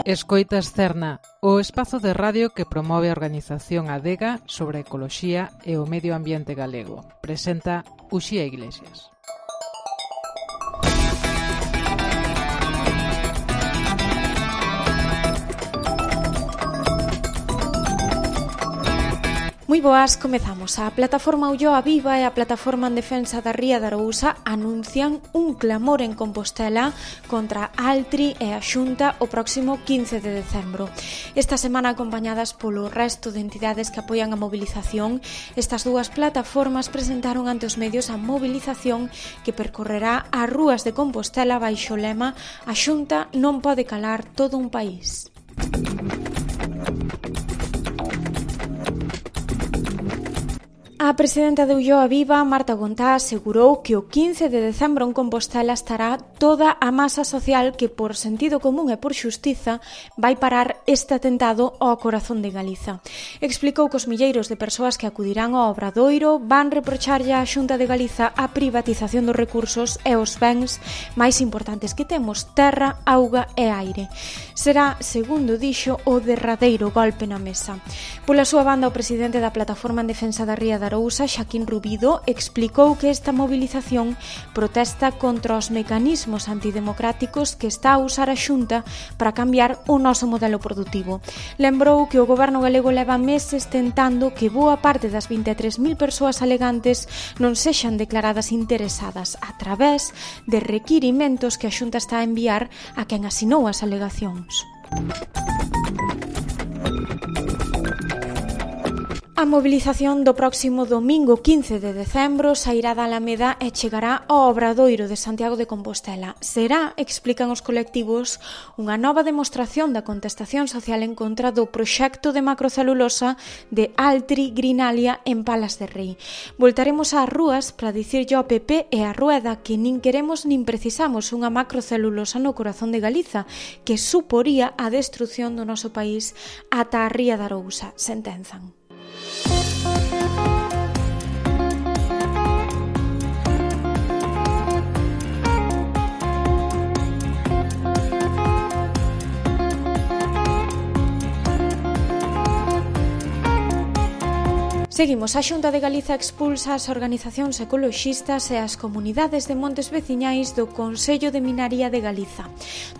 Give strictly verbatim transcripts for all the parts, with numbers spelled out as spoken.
Escoitas Cerna, o espazo de radio que promove a organización Adega sobre a ecoloxía e o medio ambiente galego. Presenta Uxía Iglesias. Moi boas, comezamos. A plataforma Ulloa Viva e a plataforma en defensa da Ría de Arousa anuncian un clamor en Compostela contra Altri e a Xunta o próximo quince de decembro. Esta semana, acompañadas polo resto de entidades que apoian a mobilización, estas dúas plataformas presentaron ante os medios a mobilización que percorrerá as rúas de Compostela baixo o lema "A Xunta non pode calar todo un país". A presidenta de Ulloa Viva, Marta Gontá, asegurou que o quince de decembro en Compostela estará toda a masa social que, por sentido común e por xustiza, vai parar este atentado ao corazón de Galiza. Explicou que os milleiros de persoas que acudirán ao Obradoiro van reprocharlle á Xunta de Galiza a privatización dos recursos e os bens máis importantes que temos, terra, auga e aire. Será, segundo dixo, o derradeiro golpe na mesa. Pola súa banda, o presidente da Plataforma en Defensa da Ría de Arousa, Xaquín Rubido, explicou que esta mobilización protesta contra os mecanismos antidemocráticos que está a usar a Xunta para cambiar o noso modelo produtivo. Lembrou que o goberno galego leva meses tentando que boa parte das vinte e tres mil persoas alegantes non sexan declaradas interesadas a través de requirimentos que a Xunta está a enviar a quen asinou as alegacións. A mobilización do próximo domingo quince de decembro sairá da Alameda e chegará ao Obradoiro de Santiago de Compostela. Será, explican os colectivos, unha nova demostración da contestación social en contra do proxecto de macrocelulosa de Altri Greenalia en Palas de Rei. Voltaremos ás rúas para dicirlle ao P P e a Rueda que nin queremos nin precisamos unha macrocelulosa no corazón de Galiza, que suporía a destrucción do noso país ata a Ría de Arousa, sentenzan. Seguimos. A Xunta de Galiza expulsa as organizacións ecoloxistas e as comunidades de montes veciñais do Consello de Minaría de Galiza.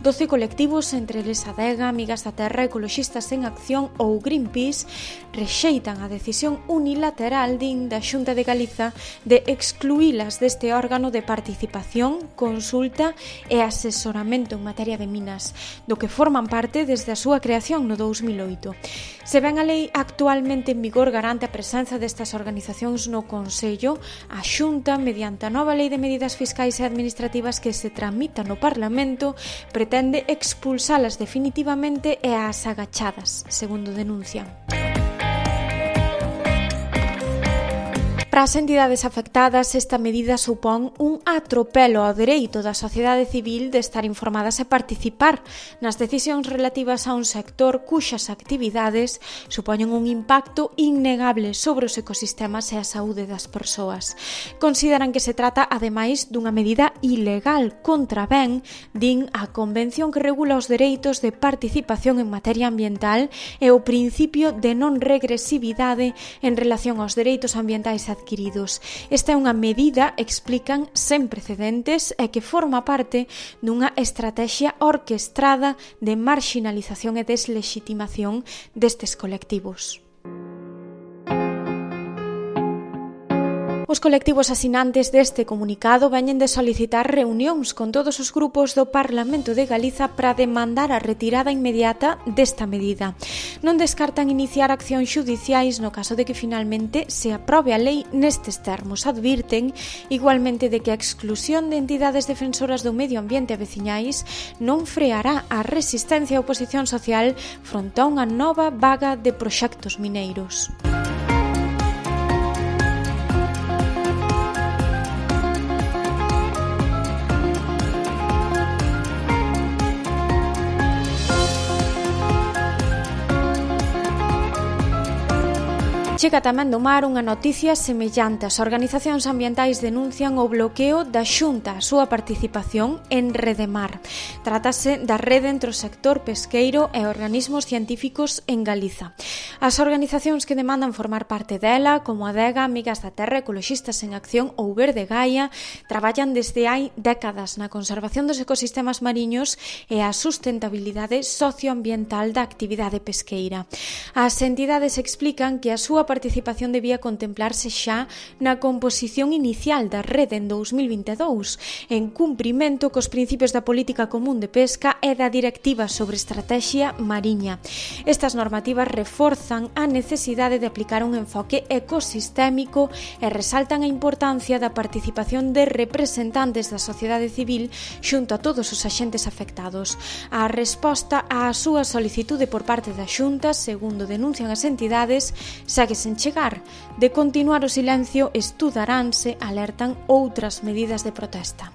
doce colectivos, entre eles Adega, Amigas da Terra, Ecoloxistas en Acción ou Greenpeace, rexeitan a decisión unilateral din da Xunta de Galiza de excluílas deste órgano de participación, consulta e asesoramento en materia de minas, do que forman parte desde a súa creación no dous mil oito. Se ben a lei actualmente en vigor garante a presenza destas organizacións no Consello, a Xunta, mediante a nova Lei de Medidas Fiscais e Administrativas que se tramita no Parlamento, pretende expulsalas definitivamente e ás agachadas, segundo denuncian. Para as entidades afectadas, esta medida supón un atropelo ao dereito da sociedade civil de estar informadas e participar nas decisións relativas a un sector cuxas actividades supoñen un impacto innegable sobre os ecosistemas e a saúde das persoas. Consideran que se trata, ademais, dunha medida ilegal contra ben, din a Convención que regula os dereitos de participación en materia ambiental e o principio de non regresividade en relación aos dereitos ambientais adquiridos. Esta é unha medida, explican, sen precedentes e que forma parte dunha estrategia orquestrada de marxinalización e deslegitimación destes colectivos. Os colectivos asinantes deste comunicado veñen de solicitar reunións con todos os grupos do Parlamento de Galiza para demandar a retirada inmediata desta medida. Non descartan iniciar accións xudiciais no caso de que finalmente se aprobe a lei nestes termos. Advirten igualmente de que a exclusión de entidades defensoras do medio ambiente e veciñais non freará a resistencia e oposición social fronte a unha nova vaga de proxectos mineiros. Chega tamén do mar unha noticia semellante. As organizacións ambientais denuncian o bloqueo da Xunta a súa participación en Redemar. Trátase da rede entre o sector pesqueiro e organismos científicos en Galiza. As organizacións que demandan formar parte dela, como Adega, Amigas da Terra, Ecoloxistas en Acción ou Verde Gaia, traballan desde hai décadas na conservación dos ecosistemas mariños e a sustentabilidade socioambiental da actividade pesqueira. As entidades explican que a súa participación debía contemplarse xa na composición inicial da rede en dous mil vinte e dous, en cumprimento cos principios da Política Común de Pesca e da Directiva sobre Estrategia Mariña. Estas normativas reforzan a necesidade de aplicar un enfoque ecosistémico e resaltan a importancia da participación de representantes da sociedade civil xunto a todos os axentes afectados. A resposta á súa solicitude por parte da Xunta, segundo denuncian as entidades, segue sen chegar. De continuar o silencio, estudaránse, alertan outras medidas de protesta.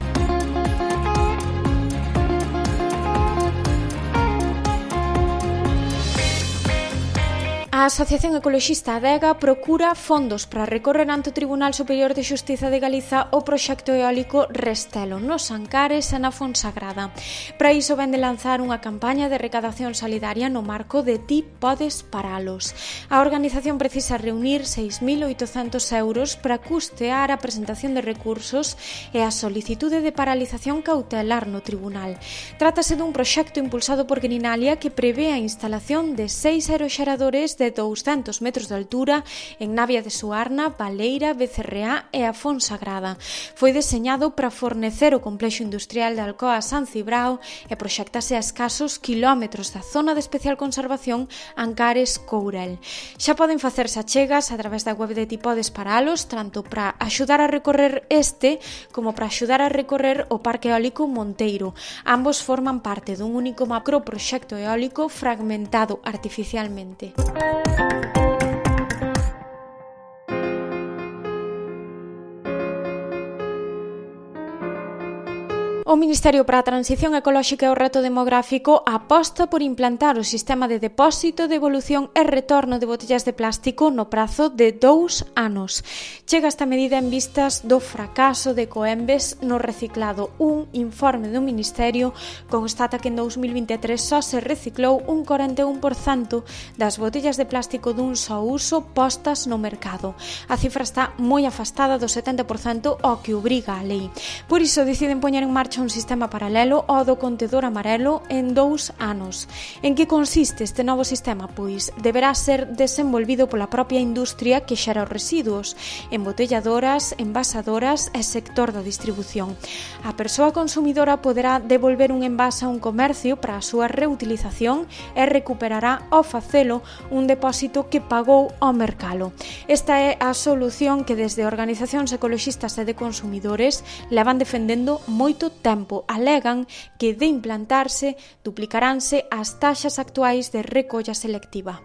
A Asociación Ecoloxista Adega procura fondos para recorrer ante o Tribunal Superior de Xustiza de Galiza o proxecto eólico Restelo, nos Ancares e na Fonsagrada. Para iso vén de lanzar unha campaña de recadación solidaria no marco de Ti podes paralos. A organización precisa reunir seis mil oitocentos euros para custear a presentación de recursos e a solicitude de paralización cautelar no tribunal. Trátase dun proxecto impulsado por Greenalia que prevé a instalación de seis aeroxeradores de douscentos metros de altura en Navia de Suarna, Baleira, Becerreá e a Fonsagrada. Foi deseñado para fornecer o complexo industrial de Alcoa San Cibrao e proxectase a escasos kilómetros da zona de especial conservación Ancares-Courel. Xa poden facerse achegas a través da web de Ti podes paralos, tanto para axudar a recorrer este como para axudar a recorrer o Parque Eólico Monteiro. Ambos forman parte dun único macroproxecto eólico fragmentado artificialmente. O Ministerio para a Transición Ecolóxica e o Reto Demográfico aposta por implantar o sistema de depósito, devolución e retorno de botellas de plástico no prazo de dous anos. Chega esta medida en vistas do fracaso de Coembes no reciclado. Un informe do Ministerio constata que en dous mil vinte e tres só se reciclou un corenta e un por cento das botellas de plástico dun só uso postas no mercado. A cifra está moi afastada do setenta por cento ao que obriga a lei. Por iso deciden poñer en marcha un sistema paralelo ao do contedor amarelo en dous anos. En que consiste este novo sistema? Pois deberá ser desenvolvido pola propia industria que xera os residuos, embotelladoras, envasadoras e sector da distribución. A persoa consumidora poderá devolver un envase a un comercio para a súa reutilización e recuperará ao facelo un depósito que pagou ao mercalo. Esta é a solución que desde organizacións ecoloxistas e de consumidores levan defendendo moito tempo. tempo alegan que de implantarse duplicaranse as taxas actuais de recolla selectiva.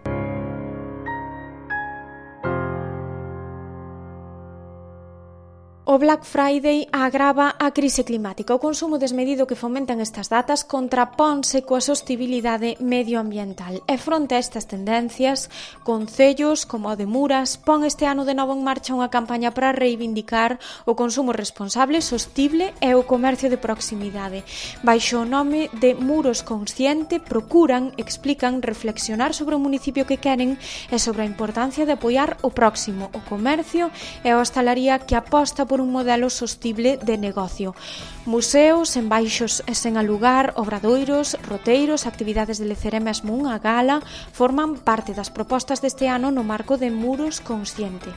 O Black Friday agrava a crise climática. O consumo desmedido que fomentan estas datas contraponse coa sostibilidade medioambiental. E fronte a estas tendencias, concellos como o de Muras pon este ano de novo en marcha unha campaña para reivindicar o consumo responsable, sostible e o comercio de proximidade. Baixo o nome de Muros Consciente, procuran, explican, reflexionar sobre o municipio que queren e sobre a importancia de apoiar o próximo, o comercio e a hostalaría que aposta por un modelo sostible de negocio. Museos, enbaixos sen alugar, obradoiros, roteiros, actividades de lecer e mesmo unha gala forman parte das propostas deste ano no marco de Muros Consciente.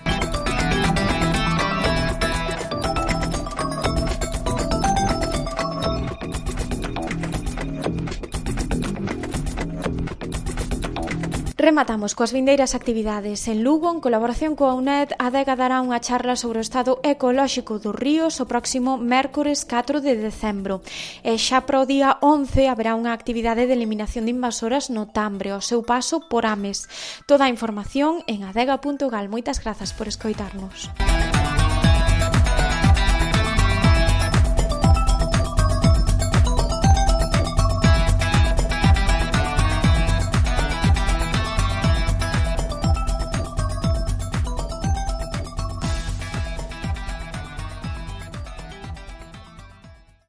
Rematamos coas vindeiras actividades. En Lugo, en colaboración coa U N E D, a Adega dará unha charla sobre o estado ecolóxico dos ríos o próximo mércores catro de decembro. E xa para o día once haberá unha actividade de eliminación de invasoras no Tambre, ao seu paso por Ames. Toda a información en adega punto gal. Moitas grazas por escoitarnos.